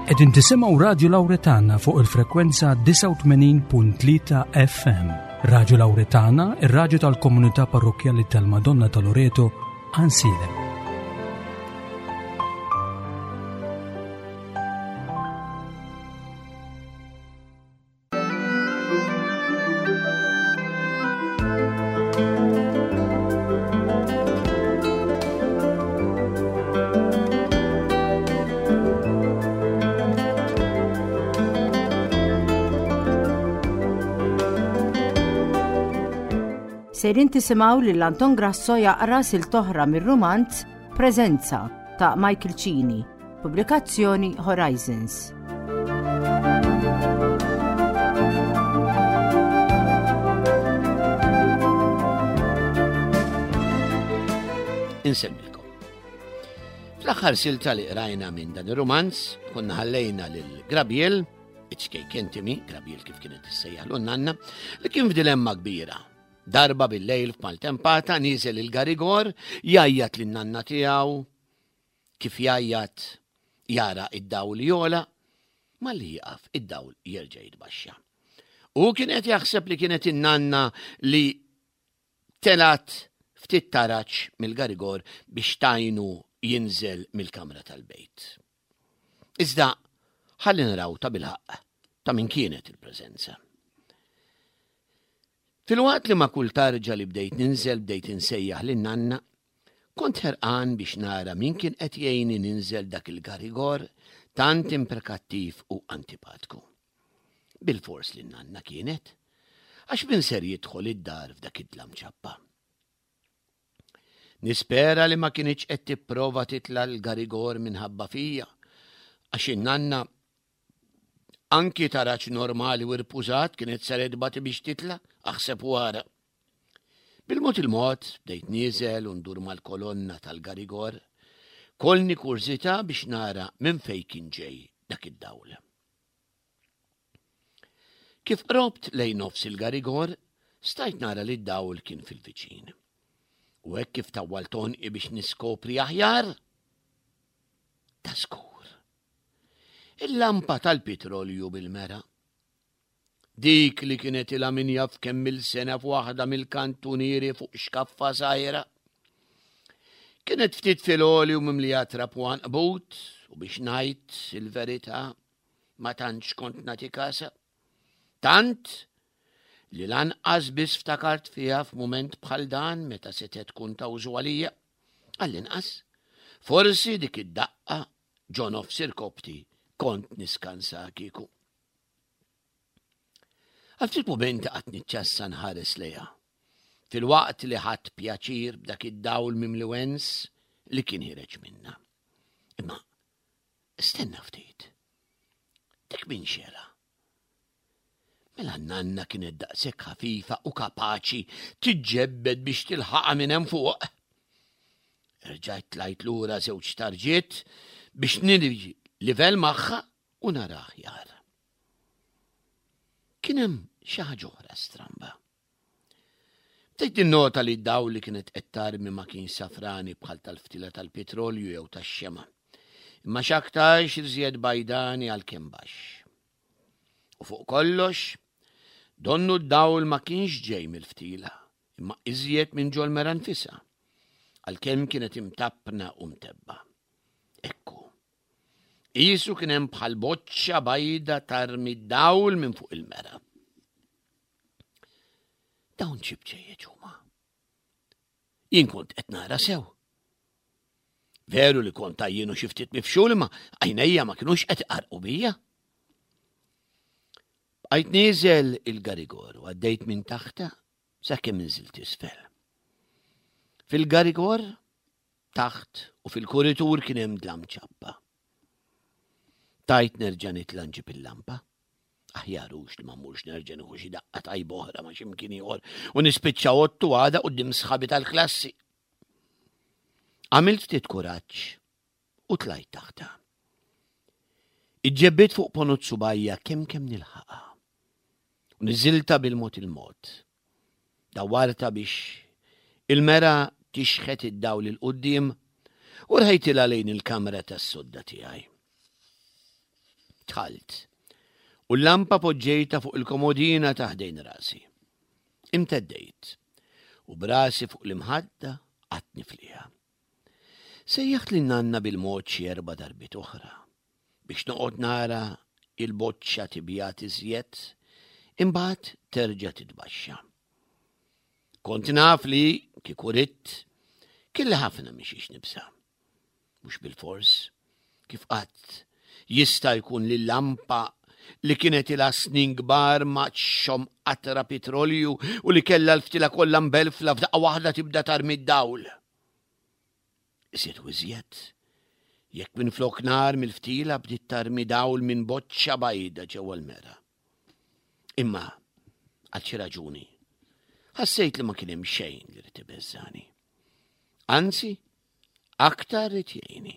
Qegħdin tisimgħu Radju Lawretana fuq il-frekwenza 89.3 FM. Radju Lawretana, ir-radju tal-komunità parrokkjali tal-Madonna ta' Loreto, Ansilem. Sejrin tisimgħu lil Anton Grasso jaqra siltoħra mir-rumanz Preżenza ta' Michael Cini. Pubblikazzjoni Horizons. Insemmilkom. Fl-aħħar silta li qrajna minn dan ir-rumanz, konna ħallejna lil Grabiel, iċ-ċkejken Timi, Grabiel kif kienet issejjaħlu nanna, li kien f'dilemma kbira. Darba bil-lejl f'maltempata niżel il-garigor, jgħajjat lin-nanna tiegħu, Kif jgħajjat jara id-dawl jogħla, malli jieqaf id-dawl jerġa' jitbaxxa. Hu kien qed jaħseb li kienet in-nanna li telgħet ftit taraġ mill-garigor biex tgħinu jinżel mill-kamra tal-bejt. Iżda ħalli naraw ta' bilħaqq ta' min kienet il-preżenza. Filwaqt li ma' kull tarġa li bdejt ninżel bdejt insejjaħ lin-nanna, kont ħerqan biex nara min kien qed jgħinni ninżel dak il-garigor tant imprekattiv u antipatku. Bilfors li n-nanna kienet, għax min ser jidħol id-dar f'dak id-dlam ċappa. Nispera li ma kinitx qed tipprova titla' l-garigor minħabba fija, għax in-nanna Anki taraġ normali u rpużat kienet ser tbati biex titla', aħseb u ara. Bil-mod il-mod bdejt nieżel u ndur mal-kolonna tal-garigor, kollni kurżità biex nara minn fejn kien ġej dak id-dawl. Kif qrobt lejn nofs il-garigor, stajt nara li d-dawl kien fil-viċin. U hekk kif tawwalt għonqi biex niskopri aħjar, ta' skur. Il-lampa tal-pitrolju bil-mera. Dik li kienet ilha min jaf kemm-il sena f'waħda mill-kantunieri fuq xkaffa żgħira. Kienet ftit fil-għoli u mimlija trab u għanqbut u biex ngħid il-verità ma tantx kont nagħti kasha. Tant li lanqas biss ftakart fiha f'mument bħal dan meta setgħet tkun ta' użu għalija. Għall-inqas, forsi dik id-daqqa ġo nofs irkopti kont niskansa kieku. Għal ftit mumenti qatt niċċassa nħares lejha. Filwaqt li ħadt pjaċir b'dak id-dawl mimli wens li kien ħireġ minna. Imma stenna ftit. Dik min xela? Mela n-nanna kienet daqshekk ħafifa u kapaċi tiġġebbed biex tilħaqha minn hemm fuq. Erġajt tlajt lura żewġ tarġiet biex nirġi livell magħha u nara aħjar. Kien hemm xi ħaġa oħra stramba. Bdejt ninnota li d-dawl li kienet qed tarmi ma kienx safrani bħal tal-ftila tal-pitrolju jew tax-xemgħa, imma x'aktarx iżjed bajdani għalkemm baxx. U fuq kollox, donnu d-dawl ma kienx ġej mill-ftila, imma iżjed minn ġol-mera nfisha, għalkemm kienet imtappna u mtebba. Ekku. Qisu kien hemm bħal boċċa bajda tarmi d-dawl minn fuq il-mera. Dawn xi bċejjeċ huma. Jien kont qed nara sew. Veru li kont għajjien u xi ftit mifxul imma għajnejja ma kinux qed iqarqu bija. Bqajt nieżel il-garigor u għaddejt minn taħta sakemm inżilt isfel. Fil-garigor taħt u fil-kuritur kien hemm dlam ċappa. Tajt nerġa' nitla' nġib il-lampa. Aħjar hux li ma mmurx nerġa' nieħu xi daqqa tajba oħra ma' xi mkien ieħor u nispiċċa ottu għada quddiem sħabi tal-klassi. Għamilt ftit kuraġġ u tlajt taħta. Iġġebbit fuq ponot subajja kemm kemm nilħaqha. U niżilta bil-mod il-mod. Dawwartha biex il-mera tixħet id-dawl 'il quddiem u rħejtilha lejn il-kamra tas-sodda tiegħi. Dħalt, u l-lampa poġġejtha fuq il-komodina ta' ħdejn rasi. Imteddejt, u b'rasi fuq l-imħadda qgħadt nifliha. Sejjaħt lil nanna bil-mod xi erba' darbiet oħra biex noqgħod nara il-boċċa tibjat iżjed, imbagħad terġa' titbaxxa. Kont naf li, kieku ridt, kelli ħafna minn xiex nibża'. Mhux bilfors, kif qatt jista' jkun li lampa li kienet ilha snin kbar ma txomm qatra pitrolju u li kellha l-ftila kollha mbelfla f'daqqa waħda tibda tarmi d-dawl. Iżjed u iżjed, jekk minflok nar mill-ftila bdiet tarmi dawl minn boċċa bajda ġewwa l-mera. Imma, għal xi raġuni, ħassejt li ma kien hemm xejn li rid ibeżżani. Anzi, aktar rid jgħinni.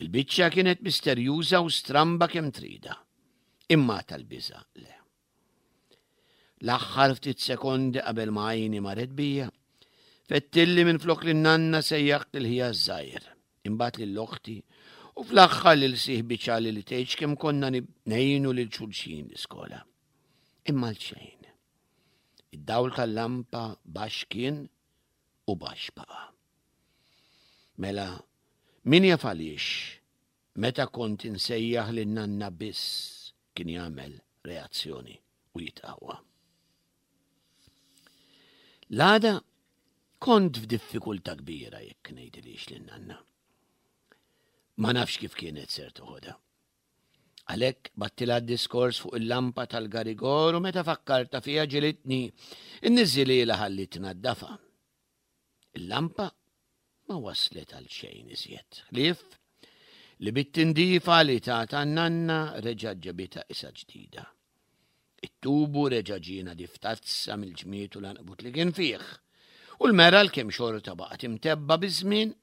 Il-biċċa kienet misterjuża u stramba kemm trida. Imma tal-biża le. L-aħħar ftit sekondi qabel ma għajni marret bija, fettilli minn flok li nanna sejjaħt lil ħija żgħir, imbagħad lil oħti u fl-aħħar lil sieħbi ċali li tgħidx kemm konna ngħinu lil xulxin l-iskola. Imma l xejn. Id-dawl tal-lampa baxx kien u baxx baqa'. Mela, min jaf għaliex meta kont insejjaħ lil nanna biss kien jagħmel reazzjoni u jitqawwa. L-għada kont f'diffikultà kbira jekk ngħidilix lil nanna. Ma nafx kif kienet ser toħodha. Għalhekk battilha d-diskors fuq il-lampa tal-garigor u meta fakkartha fiha ġilitni nniżżililha ħalli tnaddafha. Il-lampa ma waslet għal xejn iżjed, ħlief li bit-tindifa li tatha n-nanna reġgħet ġabitha qisha ġdida. It-tubu reġa' ġie nadif tazza mill-ġmied u l-għanqbut li kien fih, u l-mera għalkemm xorta baqgħet imtebba' biż-żmien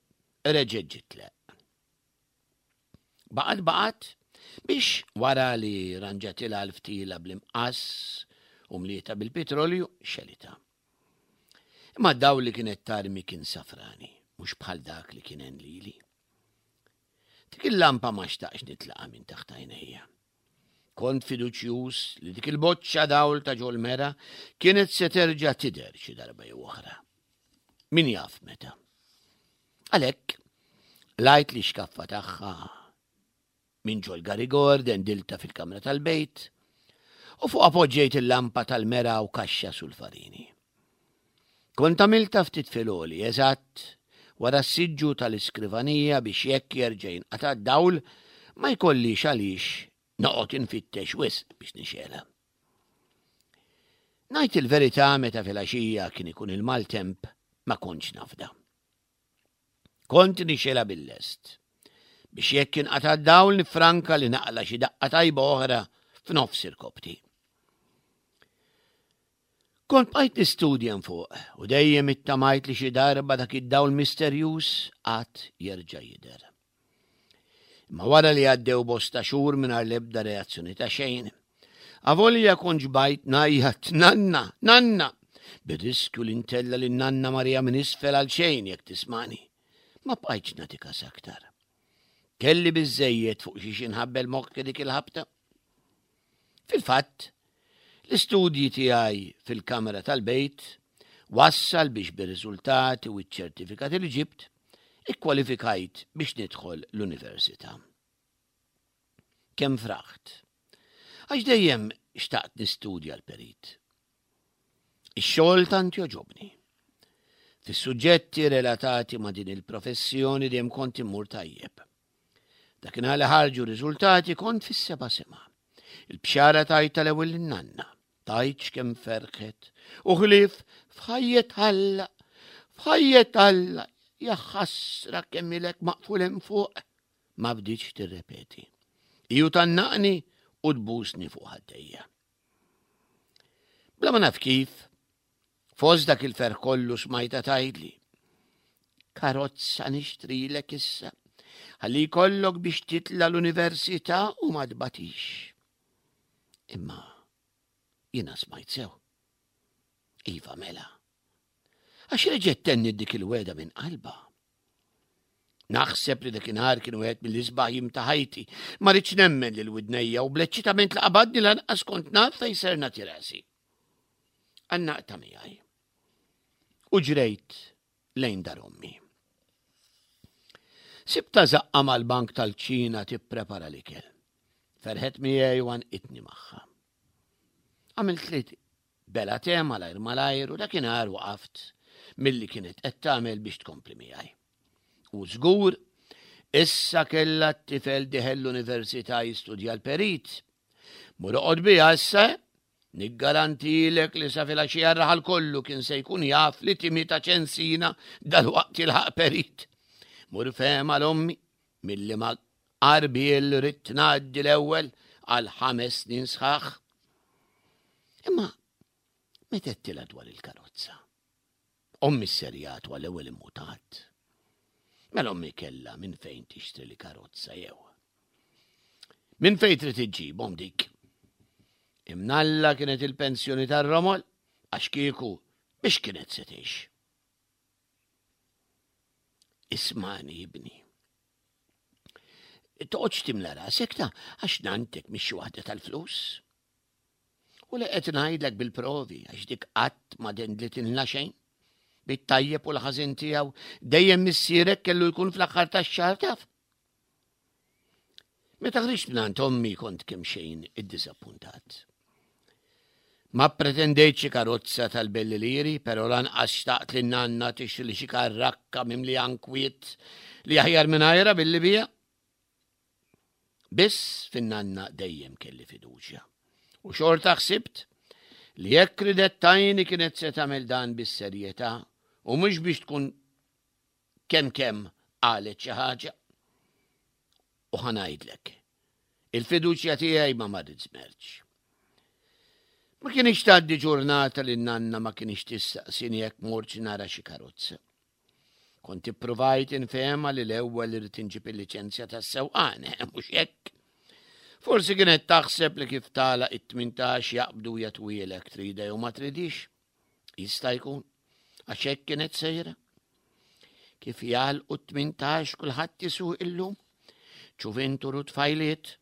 reġgħet ġiet tleqq. Baqgħet baqgħet biex wara li ranġatilha l-ftila bl-imqass u mlietha bil-pitrolju xelitha. Imma d-dawl li kienet tarmi kien safrani, mhux bħal dak li kien għen lili. Dik il-lampa ma xtaqx nitlaqa minn taħt għajnejja. Kont fiduċjuż li dik il-boċċa dawl ta' ġol mera kienet se terġa' tidher xi darba jew oħra. Min jaf meta. Għalhekk, lajt li xkaffa tagħha minn ġol garigor dendilta fil-kamra tal-bejt u fuq poġġejt il-lampa tal-mera u kaxxa sulfarini. Kont għamiltha ftit filgħoli, eżatt wara s-siġġu tal-iskrivanija biex jekk jerġa' jinqata' d-dawl ma jkollix għaliex noqgħod infittex wisq biex nixgħelha. Ngħid il-verità meta filgħaxija kien ikun il-maltemp ma kontx nafda. Kont nixgħelha bil-lest biex jekk inqata' d-dawl nifranka li naqla' xi daqqa tajba oħra f'nofs irkopti. Kont bqajt nistudja hemm fuq u dejjem ittamajt li xi darba dak id-dawl misterjuż għad jerġa' jidher. Imma wara li għaddew bosta xhur mingħajr l-ebda reazzjoni ta' xejn, avolja kont ġbajt ngħajjat nanna, nanna, bir-riskju li ntella' lil nanna Maria minn isfel għal xejn jekk tismani, ma bqajtx nagħti kas aktar. Kelli biżżejjed fuq xiex inħabbel moħħi dik il-ħabta. Fil-fatt, l-istudji tiegħi fil-kamra tal-bejt wassal biex bir-riżultati u ċ-ċertifikati li ġibt, ikkwalifikajt biex nidħol l-università. Kemm fraħt! Għax dejjem xtaqt nistudja l-perit. Ix-xogħol tant jogħġobni. Fis-suġġetti relatati ma' din il-professjoni dejjem kont immur tajjeb. Dakinhar li ħarġu r-riżultati kont fis-seba' sema. Il-bxara tajtha l-ewwel lin-nanna. Tgħidx kemm ferħet. U ħlief f'ħajjet Alla, f'ħajjet Alla, ja ħasra kemm ilek maqful hemm fuq. Ma bdietx tirrepeti. Iju tannaqni u tbusni fuq ħaddejja. Bla ma naf kif, Fost dak il-ferħ kollu smajtha tgħidli, Karozza nixtrilek issa, ħalli jkollok biex titla' l-università u ma tbatix. Imma jiena smajt sew. Iva mela. Għax reġgħet tenniet dik il-wegħda minn qalbha. Naħseb li dakinhar kien wieħed mill-isbaħ jiem ta' ħajti. Ma rridx nemmen lil widnejja u bl-eċċitament li qabadni lanqas kont naf fejn ser nagħti rasi. Għannaqta miegħi. U ġrejt lejn dar ommi. Sibta zaqqa mal-bank tal-ċina tipprepara l-ikel. Ferħet miegħi u għanqitni magħha. Għamilt li bela te malajr malajr u dakinhar waqaft milli kienet qed tagħmel biex tkompli miegħi. U żgur, issa kellha t-tifel diħel l-università jistudja l-perit. Mur oqgħod biha issa, niggarantilek li sa filgħaxija r-raħal kollu kien se jkun jaf li Timi ta' Ċensina dalwaqt jilħaq perit. Mur fehma l-ommi milli ma qarbiel ridt ngħaddi l-ewwel għal ħames snin sħaħ. Imma meta għedtilha dwar il-karozza? Ommi sserjat u għall-ewwel immutat. Mela ommi kellha minn fejn tixtri li karozza jew. Minn fejn trid iġġibhom dik? Imnalla kienet il-pensjoni tar-romol għax kieku biex kienet se tgħix. Ismani ibni. Toqgħodx timla rasek ta' għax nantek mhix xi waħda tal-flus. U li qed ngħidlek bil-provi għax dik qatt ma dendlitilna xejn. Bit-tajjeb u l-ħażin tiegħu dejjem missierek kellu jkun fl-aħħar tax-xahar taf. Meta ħriġt mingħand ommi kont kemm xejn iddiżappuntat. Ma ppretendejt xi karozza tal-belli liri, però lanqas xtaqt li nanna tixtri li xi karrakka mimli ankwiet li aħjar mingħajra billi bija. Biss fin-nanna dejjem kelli fiduċja. U xorta ħsibt li jekk ridet tajni kienet se tagħmel dan bis-serjetà u mhux biex tkun kemm kemm qalet xi ħaġa. U ħa ngħidlek, il-fiduċja tiegħi ma marrit żmerċ. Ma kienx tgħaddi ġurnata li nanna ma kienx tistaqsini jekk mortx nara xi karozza. Kont ippruvajt infehma li l-ewwel irid inġib il-liċenzja tas-sewqan, eh, mhux hekk. Forsi kienet taħseb li kif tagħlaq it-18 jaqbdu jatwielek trida jew ma tridix. Jista' jkun, għax hekk kienet sejra. Kif jagħlqu t-18 kulħadd isuq illum, ċuvintur u tfajliet,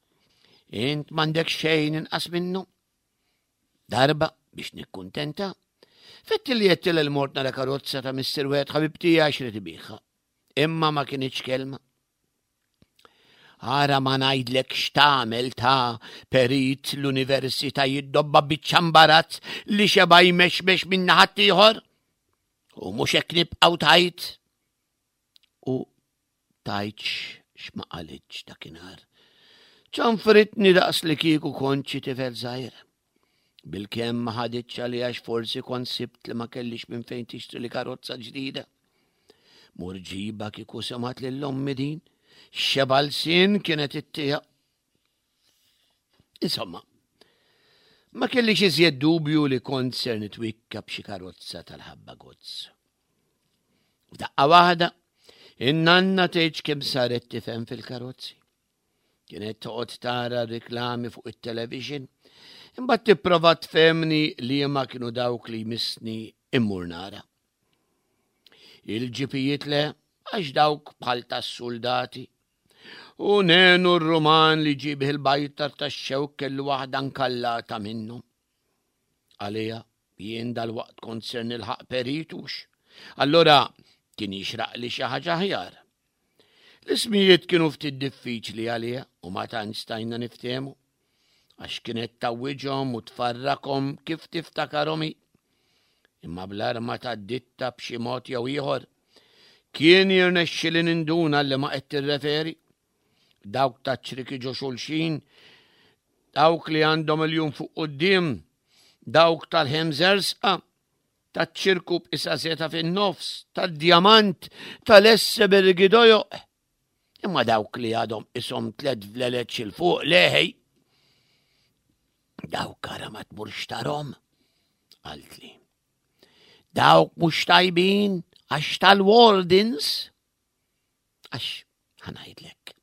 int m'għandek xejn inqas minnu. Darba biex nikkuntenta, fetti li jettil il-mort nara karozza ta' Mr. Wet ħabib tiegħi xrid ibiħha. Imma ma kienx kelma. Ara ma ngħidlek x'tagħmel ta' perit l-università jiddobba biċċa mbarazz li xeba jmexmex minn ħaddieħor. U mhux hekk nibqgħu tajt. U tajtx x'ma qalitx dakinhar. Ċanfritni daqs li kieku kont xi tifel żgħir. Bilkemm ma ħaditx għalija għax forsi kont sibt li ma kellix minn fejn tixtri li karozza ġdida. Mur ġiba kieku semat lil ommi din, xeba lsien kienet ittija. Insomma, ma kellix iżjed dubju li kont ser nitwikka b'xi karozza tal-ħabba gozz. Daqqa waħda, in-nanna tgħidx kemm saret tifhem fil-karozzi. Kienet toqgħod tara riklami fuq it-television, imbagħad tipprova tfehmni liema kienu dawk li jmissni immur nara. Il-ġipijiet le, għax dawk bħal tas-suldati. U nenu r-Ruman li ġibih il-bajtar tax-xewk kellu waħda nkallata minnhom. Għalija, jien dal-waqt kont ser nilħaq peritux. Allora kien jixraq li xi ħaġa aħjar. L-ismijiet kienu ftit diffiċli għaliha u ma tantx stajna niftehmu għax kienet tawwiġhom u tfarrakhom kif tiftakarhom hi. Imma bl-arma tad-ditta b'xi mod jew ieħor kien jirnexxili ninduna li ma qed tirreferi. Dawk ta' ċriki ġo xulxin, dawk li għandhom il-jum fuq quddiem, dawk tal-ħemżersqa, taċ-ċirku b'qisha seta fin-nofs, tad-djamant, tal-esse bergidojoq. Imma dawk li għadhom ishom tlet vleleċ il fuq leħej. Dawk ara ma tmurx tarhom, qaltli. Dawk mhux tajbin għax tal-wardens. Għax ħanajdlek.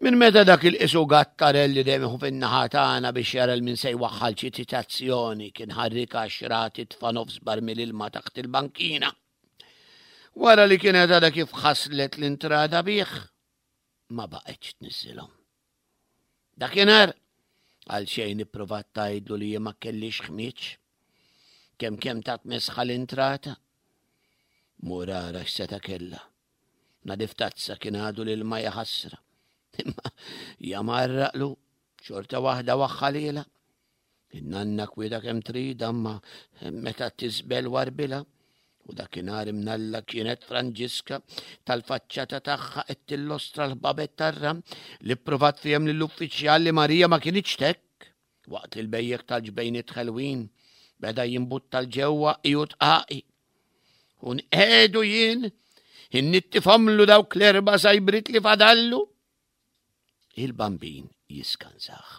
Minn meta dak il-qisu gattarell li dejjem fin-naħa tagħna biex jara l min se jwaħħal xi ċitazzjoni kien ħarrika xra titfa' nofs barmil ilma taħt il-bankina. Wara li kienet għadha kif ħaslet l-intrata bih, ma baqgħetx tniżżilhom. Dakinhar għal xejn ipprovat tgħidlu li ma kellix ħmieġ. Kemm kemm tat mesħa l-intrata. Mur ara x'seta' kellha. Nadif tazza kien għadu lil ma jaħasra. Imma jamarraqlu xorta waħda waħħalila. In-nanna kwieta kemm trid imma meta tisbel warbilha u dakinhar imnalla kienet Franġiska tal-faċċata tagħha qed tillostra l-ħbabet tarra li pprovat fihem lill-uffiċjal li Marija ma kinitx hekk waqt li l-bejjek tal-ġbejniet ħelwin beda jimbutta l-ġewwa iju tqaqi. U nqedu jien innittifhomlu dawk l-erba' sajbrit li fadallu. Il-bambin jiskansaħ.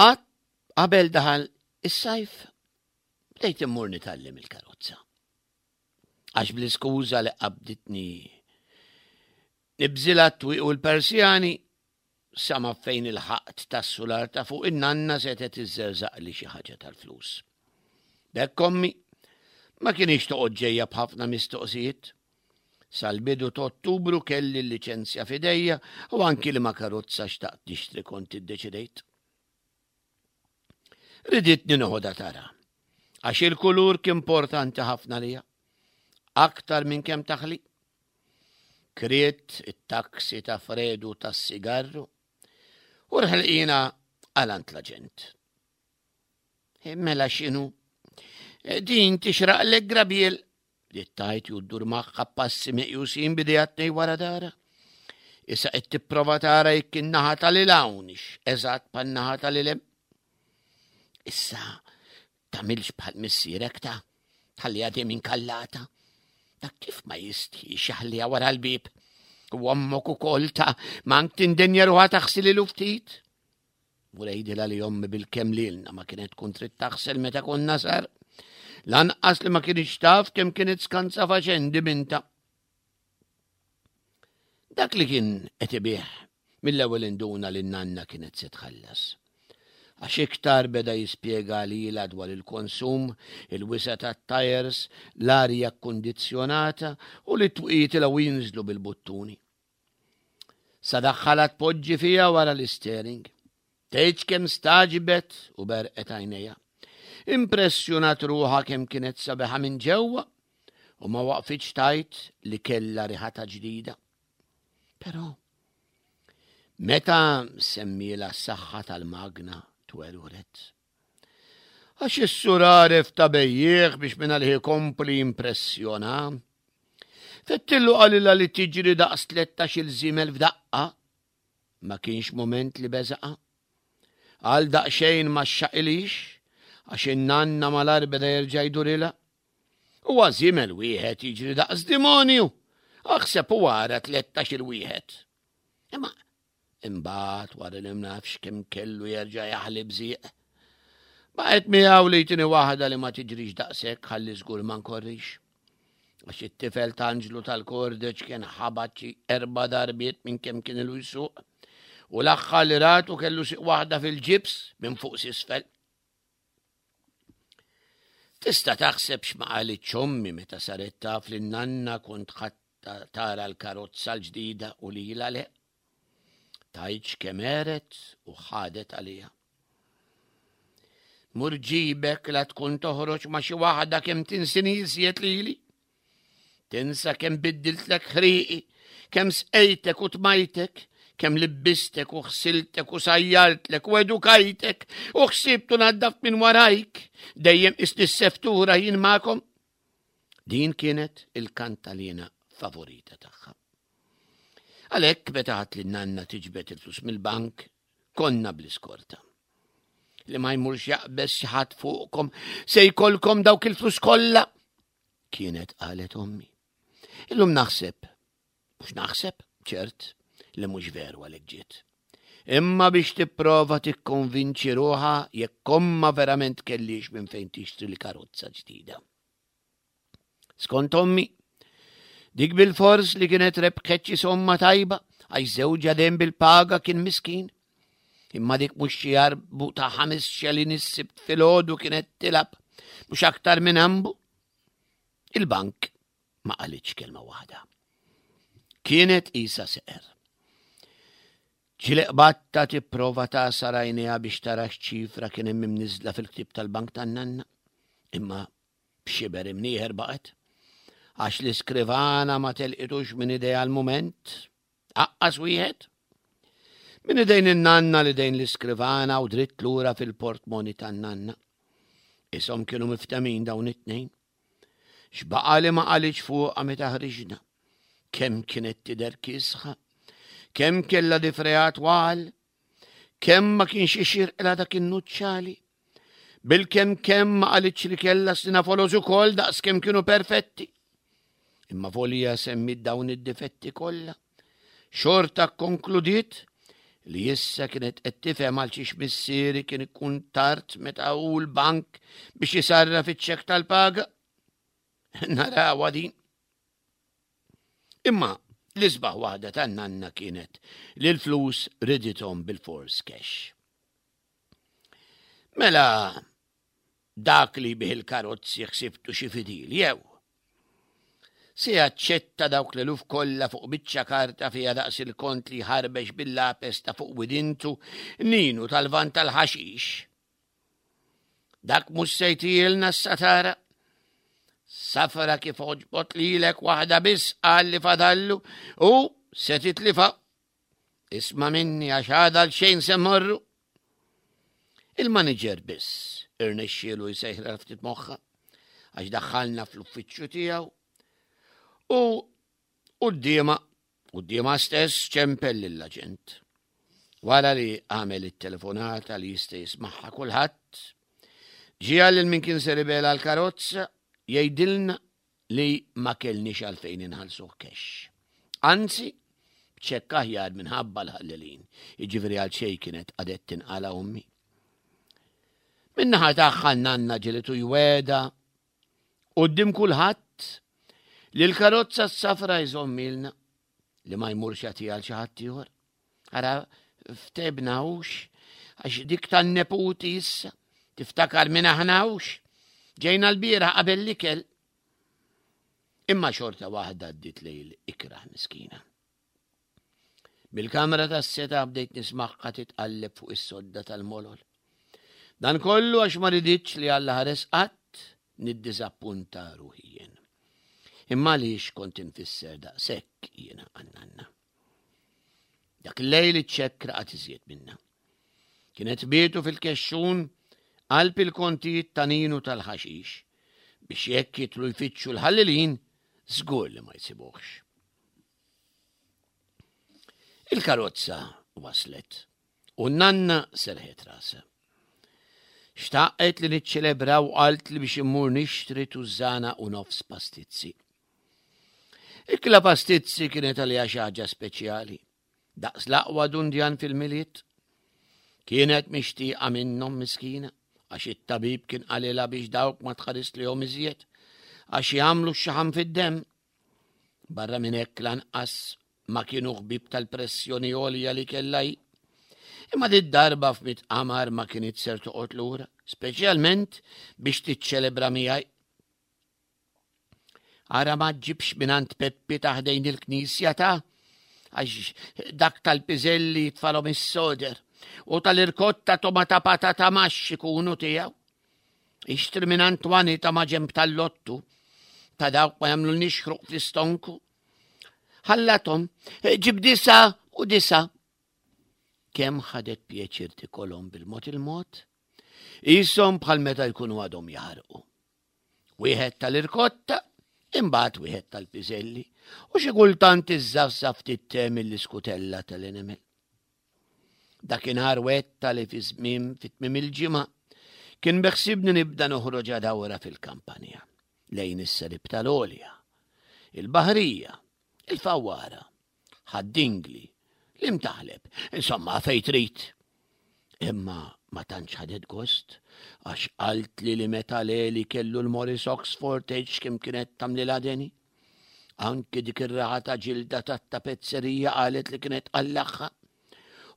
Qatt qabel daħal is-sajf bdejt immur nitgħallem il-karozza. Għax bl-iskuża li qabditni nibżilha t-twieq u l-Persjani sa ma fejn il-ħaqt tas-sular ta' fuq in-nanna setgħet iżżerżaqli xi ħaġa tal-flus. B'hekk ommi ma kienx toqgħod ġejja b'ħafna mistoqsijiet. Sal-bidu ta' Ottubru kelli l-liċenzja f'idejja u anki liema karozza xtaqt nixtri kont iddeċidejt. Riditni noħodha tara, għax il-kulur kien importanti ħafna lija, aktar minn kemm taħli. Kriet it-taksi ta' Fredu tas-sigarru u rħelqina għal għand l-aġent. Eh, mela x'inhu? Eh, din tixraqlek grabiel li tajt ju ddur magħha passi meqjusin bidejha tnej wara dara. Issa qed tipprova tara jekk in-naħa tal-il hawnx eżatt pan-naħa tal-il hemm. Issa tagħmilx bħal missierek ta' tħalliha dejjem inkallata. Dak kif ma jistħix jaħliha wara l-bieb. U ommok ukoll ta' mank tindenja ruħha taħsililu ftit. Mur għidilha li ommi bil-kemm lilna ma kienet tkun trid taħsel meta konna sar. Lanqas li ma kienx taf kemm kienet skanza faċendi binta. Dak li kien qed ibih mill-ewwel induna li n-nanna kienet se tħallas. Għax iktar beda jispjega lilha dwar il-konsum, il-wisa tat-tajers, l-arja kkundizzjonata u li t-twqiet ilgħu jinżlu bil-buttuni. Sa daħħalha tpoġġi fiha wara l-istering. Tgħidx kemm stagħġbet u berqet għajnejha. Impressjonat ruħha kemm kienet sabiħa minn ġewwa u ma waqfitx tgħid li kellha riħa ta' ġdida. Però meta semmiela s-saħħa tal-magna twerwret. Għax is-sur għaref ta' bejjiegħ biex minn għalih ikompli jimpressjona. Fettillu qalilha li tiġri daqs 13-il żiemel f'daqqa. Ma kienx mument li beżaqa. Għal daqsxejn ma xxaqilix, għax in-nanna malar beda jerġa' jdurilha. Huwa żiemel wieħed jiġri daqs dimonju, aħseb u ara 13-il wieħed. Imma Imbagħad wara li mnafx kemm kellu jerġa' jaħli bżieq. Baqgħet miegħu li jtini waħda li ma tiġrix daqshekk ħalli żgur ma nkorrix. Għax it-tifel ta' Anġlu tal-Kordeċ kien ħabat xi erba' darbiet minn kemm kien ilu jsuq. U l-aħħar li ratu kellu siq waħda fil-ġibs minn fuq s'isfel. Tista' taħseb x'ma qalitx ommi meta saret taf li n-nanna kont ħadd tara l-karozza l-ġdida u lilha le. Tgħidx kemm għeret u ħadet għaliha. Mur ġibek la tkun toħroġ ma' xi waħda kemm tinsini iżjed lili. Tinsa kemm biddiltlek ħriqi, kemm sqejtek u tmajtek, kemm libbistek u ħsiltek u sajjartlek u edukajtek u ħsibtu naddaf minn warajk, dejjem isni s-seftura jien magħkom. Din kienet il-kantalina favorita tagħha. Għalhekk meta ħadd li nanna tiġbed il-flus mill-bank, konna bl-iskorta. Li ma jmurx jaqbeż xi ħadd fuqkom se jkollkom dawk il-flus kollha kienet qalet ommi. Illum naħseb, mhux naħseb, ċert, li mhux veru għalhekk ġiet. Imma biex tipprova tikkonvinċi ruħha jekk omma verament kellix minn fejn tixtri l-karozza ġdida. Skont ommi, dik bil-fors li kienet rebħet xi somma tajba għax żewġha dejjem bil-paga kien miskin. Imma dik mhux xi jarbu ta' ħames xelin is-sibt filgħodu kienet tilab mhux aktar minn ambu. Il-bank ma qalitx kelma waħda. Kienet isa seqer. Ġieli qbadtha tipprova tagħsar għajnejha biex tara x'ċifra kien hemm imniżżla fil-ktieb tal-bank tan-nanna. Imma b'xiber imnieħer baqgħet. Għax l-iskrivana ma telqitux minn idejha l-mument. Aqqas wieħed. Minn idejn in-nanna li dejn l-iskrivana u dritt lura fil-portmoni tan-nanna. Ishom kienu miftemin dawn it-tnejn. X'baqa' li ma qalitx fuqha meta ħriġna? Kemm kienet tidher kiesħa? Kemm kellha difreha twal? Kemm ma kienx ixirqilha dak in-nuċċali? Bilkemm kemm ma qalitx li kellha sina foloz ukoll daqs kemm kienu perfetti. Imma volja semmit dawn id-difetti kollha. Xorta kkonkludiet li issa kienet qed tifhem għal xiex missieri kien ikun tard meta hu l-bank biex isarraf iċ-ċekk tal-paga. Narawha din. Imma l-isbaħ waħda tan-nanna kienet li l-flus ridithom bil-fors cash. Mela Dak li jbigħ il-karozzi ħsibtu xi fidil, jew? Se jaċċetta dawk l-eluf kollha fuq biċċa karta fiha daqs il-kont li jħarbex bil-lapes ta' fuq widintu Ninu tal-van tal-ħaxix? Dak mhux se jtielna s-satara. Safra kif oġbot lilek waħda biss qal li fadallu u se titlifa. Isma' minni għax għada l xejn se mmorru. Il-maniġer biss irnexxielu jsejħilha ftit moħħha għax daħħalna fl-uffiċċju tiegħu u quddiemha quddiemha stess ċempel lill-aġent. Wara li għamel it-telefonata li jista' jismagħha kulħadd, ġie lil min kien ser ibela l-karozza jgħidilna li ma kellniex għalfejn inħallsuh cash. Anzi, b'ċekk aħjar minħabba l-ħallelin, jiġifieri għal xejn kienet qadet tinqala ommi. Min-naħa tagħha nanna ġelitu jweda quddiem kulħadd li l-karozza s-safra jżommilna li ma jmurx jagħtiha għal xi ħadd ieħor. Ara ftebna hux għax dik tan-neputi issa tiftakar minn aħna hux. Ġejna l-bieraħ qabel l-ikel. Imma xorta waħda għaddiet lejl ikrah miskina. Mill-kamra tas-seta bdejt nismagħha titqalleb fuq is-sodda tal-molol. Dan kollu għax ma riditx li Alla ħares qatt niddiżappunta ruħi jien. Imma għaliex kont infisser daqshekk jiena għan-nanna. Dak il-lejl iċ-ċekk raqad iżjed minna. Kienet bietu fil-kexxun qalb il-kontijiet ta' Ninu tal-ħaxix biex jekk jitlu jfittxu l-ħallelin żgur li ma jsibuhx. Il-karozza waslet u n-nanna serħet rasha. Xtaqet li niċċelebraw qalt li biex immur nixtri tużżana u nofs pastizzi. Ikla pastizzi kienet għaliha xi ħaġa speċjali, daqs l-aqwa dundjan fil-Milied. Kienet mixtieqa minnhom miskina, għax it-tabib kien qalilha biex dawk ma tħarislihom iżjed, għax jagħmlu x-xaħam fid-demm. Barra minn hekk lanqas ma kienu ħbieb tal-pressjoni għolja li kellha hi. Imma dit darba f'mit qamar ma kienet ser toqgħod lura, speċjalment biex tiċċelebra miegħi. Ara ma ġibx mingħand Peppi ta' ħdejn il-knisja ta' għax dak tal-piżelli jitfalhom is-soder u tal-irkotta tomata patata maxx ikunu tiegħu. Ixtri mingħand Twani ta' maġenb tal-lottu ta' dawk ma jagħmlulniex ħruq fl-istonku. Ħallathom, ġib disa u disa. Kemm ħadet pjaċir tikolhom bil-mod il-mod, Ishom bħal meta jkunu għadhom jaħarqu. Wieħed tal-irkotta, imbagħad wieħed tal-piżelli, u xi kultant iżżafżaf ftit te mill-iskutella tal-enemel. Dakinhar wetta li fi żmien fi tmiem il-ġimgħa kien beħsibni nibda noħroġ dawra fil-kampanja lejn is-serib tal-għolja, il-baħrija, il-fawwara, Ħad-Dingli, l-Imtaħleb, insomma fejn trid. Imma ma tantx ħadet gost għax qaltli li meta Leli kellu l-Morris Oxford tgħidx kemm kienet tagħmlilha deni. Anki dik ir-raħa ta' ġilda tat-tapezzerija qalet li kienet tqallagħha.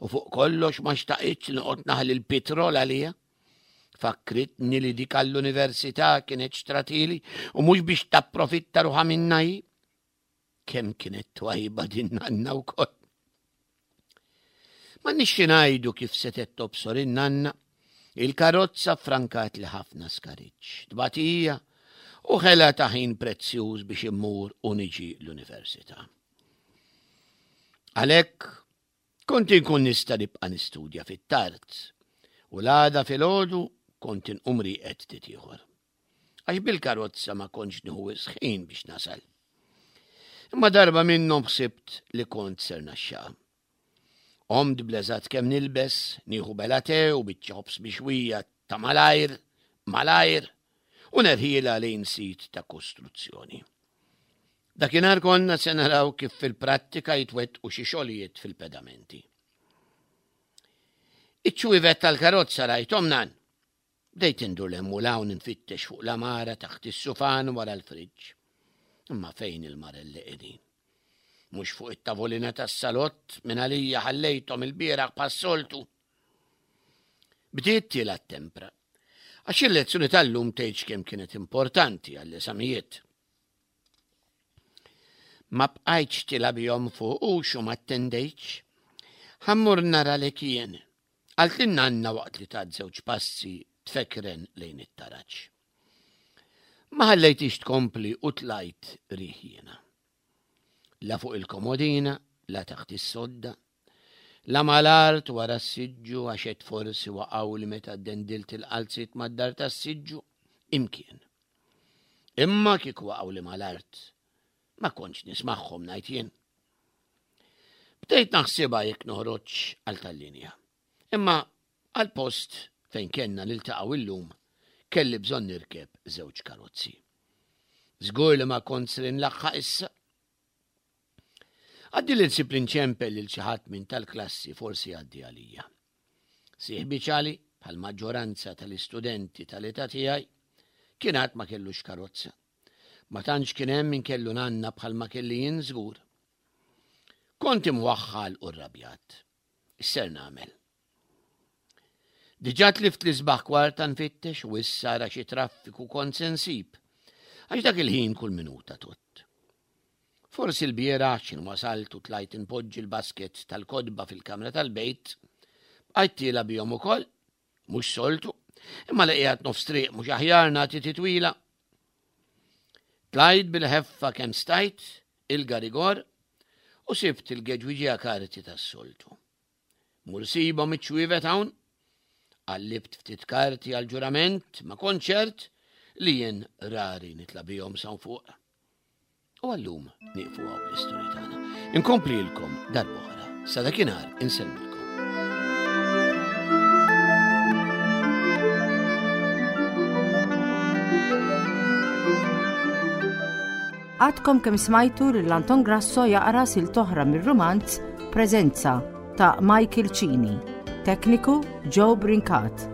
U fuq kollox ma xtaqitx li noqgħod naħli l-pitrol għaliha. Fakkritni li dik għall-università kienet xtratili u mhux biex tapprofitta ruħha minna hi. Kemm kienet twajba din nanna wkoll. Ma nixxi ngħidu kif setgħet tobsor in-nanna, il-karozza frankat li ħafna skariġġ, tbatija u ħela ta' ħin prezzjuż biex immur u niġi l-università. Għalhekk kont inkun nista' nibqa' nistudja fit-tard u l-għada filgħodu kont inqum rieqed ftit ieħor. Għax bil-karozza ma kontx nieħu wisq ħin biex nasal. Imma darba minnhom ħsibt li kont ser naxxaqha. Qomt bl-eżatt kemm nilbes, nieħu bela te u biċċa ħobż mixwija ta' malajr, malajr, u nerħilha lejn sit ta' kostruzzjoni. Dakinhar konna se naraw kif fil-prattika jitwettqu xi xogħlijiet fil-pedamenti. Iċ-ċwievet tal-karozza rajthom nan. Bdejt indur 'l hemm u 'l hawn infittex fuq l-għamara taħt is-sufan wara l-friġġ. Imma fejn il-marelli qegħdin? Mhux fuq it-tavolina tas-salott minn għalija ħallejthom ilbieraħ bħas-soltu. Bdiet tiela' t-tempra. Għax il-lezzjoni tal-lum tgħidx kemm kienet importanti għall-eżamijiet. Ma bqajtx tila bihom fuq hux u ma attendejtx. Ħa mmur nara li kien. Qaltli n-nanna waqt li tat żewġ passi tfekren lejn it-taraġ. Ma ħallejtix tkompli u tlajt riħ jiena. La fuq il-komodina, la taħt is-sodda, la mal-art wara s-siġġu għax għedt forsi waqgħuli meta ddendilt il-qalziet mad-dar tas-siġġu, imkien. Imma kieku waqgħuli mal-art, ma kontx nismagħhom ngħid jien. Bdejt naħsibha jekk noħroġx għal tal-linja. Imma għall-post fejn kellna niltaqgħu illum kelli bżonn nirkeb żewġ karozzi. Żgur li ma kont ser inlaħħaq issa. Għaddi li nsib li nċempel lil xi ħadd minn tal-klassi forsi jgħaddi għalija. Sieħbi Ċali, bħal maġġoranza tal-istudenti tal-età tiegħi, kien għad ma kellux karozza. Ma tantx kien hemm min kellu nanna bħalma kelli jien żgur. Kont imwaħħal u rrabjat. X'ser nagħmel? Diġà tlift l-isbaħ kwarta nfittex u issa ara xi traffiku kont se nsib. Għax dak il-ħin kull minuta tgħodd. Forsi l-bieraħ x'in wasalt u tlajt inpoġġi l-basket tal-kotba fil-kamra tal-bejt, bqajt tiela' bihom ukoll Mhux soltu, imma li qiegħed nofs triq mhux aħjar nagħti titwila. Tlajt bil-ħeffa kemm stajt il-garigor u sibt il-geġwiġija karti tas-soltu. Mur sibhom iċ-ċwievet hawn, qallibt ftit karti għal-ġurament ma konċert li jien rari nitla bihom sawn fuq. U għallum nieqfu hawn bl-istorja tagħna. Inkomplilkom darb'oħra. Sa dakinhar insellmilkom. Għadkom kemm smajtu lil Anton Grasso jaqra sil toħra mir-rumanz Preżenza ta' Michael Cini. Tekniku Joe Brincat.